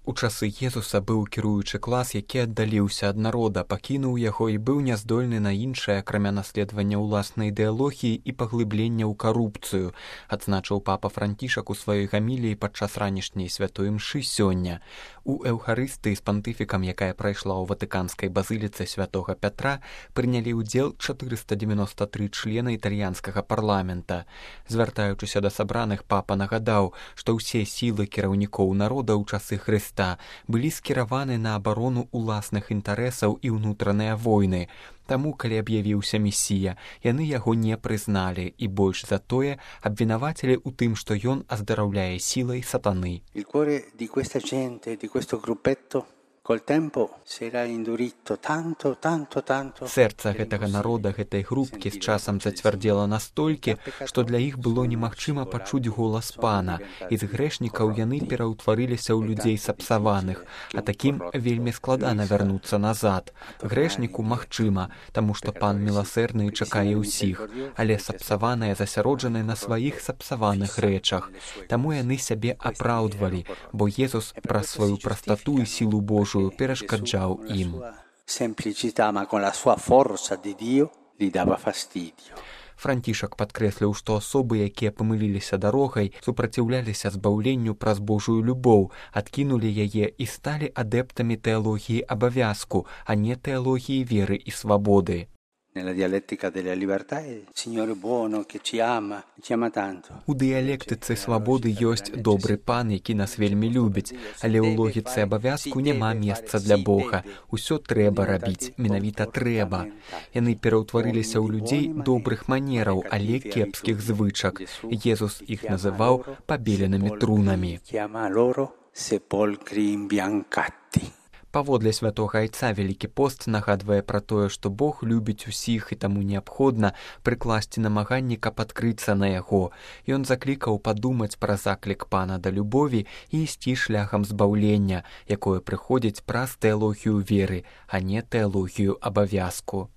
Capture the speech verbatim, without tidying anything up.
У часы Езуса быў кіруючы клас, які аддаліўся ад народа, пакінуў яго і быў няздольны на іншае, акрамя наследавання ўласнай ідэалогіі і паглыблення ў карупцыю, адзначыў папа Францішак у сваёй гаміліі падчас ранішняй святой імшы сёння. У эўхарыстыі з пантыфікам, якая прайшла ў ватыканскай базыліцы святога Пятра, прынялі ўдзел чатырыста дзевяноста тры члена італьянскага парламента. Звяртаючыся да сабраных, папа нагадаў, што ўсе сілы кіраўнікоў народа ў часы Хрыста былі скіраваны на абарону ўласных інтарэсаў і ўнутраныя войны. Таму, калі аб'явіўся месія, яны яго не прызналі і больш за тое абвінавацілі ў тым, што ён аздараўляе сілай сатаны. Il cuore di questa gente, di questo gruppetto, col tempo si era indurito tanto, tanto, tanto. Сэрца гэтага народа, гэтай групкі з часам зацвярдзела настолькі, што для іх было немагчыма пачуць голас пана, і з грэшнікаў яны пераўтварыліся ў людзей сапсаваных, а такім вельмі складана вярнуцца назад. Грэшніку магчыма, таму што пан міласэрны чакае ўсіх, але сапсаваныя засяроджаны на сваіх сапсаваных рэчах. Таму яны сябе апраўдвалі, бо Езус праз сваю прастату і сілу Божую перашкаджаў ім. Францішак падкрэсліў, што асобы, якія памыліліся дарогай, супраціўляліся збаўленню праз Божую любоў, адкінулі яе і сталі адэптамі тэалогіі абавязку, а не тэалогіі веры і свабоды. Nella dialettica della libertà è il Signore buono che ci ama, ci ama tanto. У дыялектыцы свабоды ёсць добры пан, які нас вельмі любіць, але ў логіцы абавязку няма месца для Бога. Усё трэба рабіць, менавіта трэба. Яны пераўтварыліся ў людзей добрых манераў, але кепскіх звычак. Езус іх называў пабеленымі трунамі. Паводле святога айца Вялікі пост нагадвае пра тое, што Бог любіць усіх і таму неабходна прыкласці намаганні, каб адкрыцца на яго. Ён заклікаў падумаць пра заклік пана да любові і ісці шляхам збаўлення, якое прыходзіць праз тэалогію веры, а не тэалогію абавязку.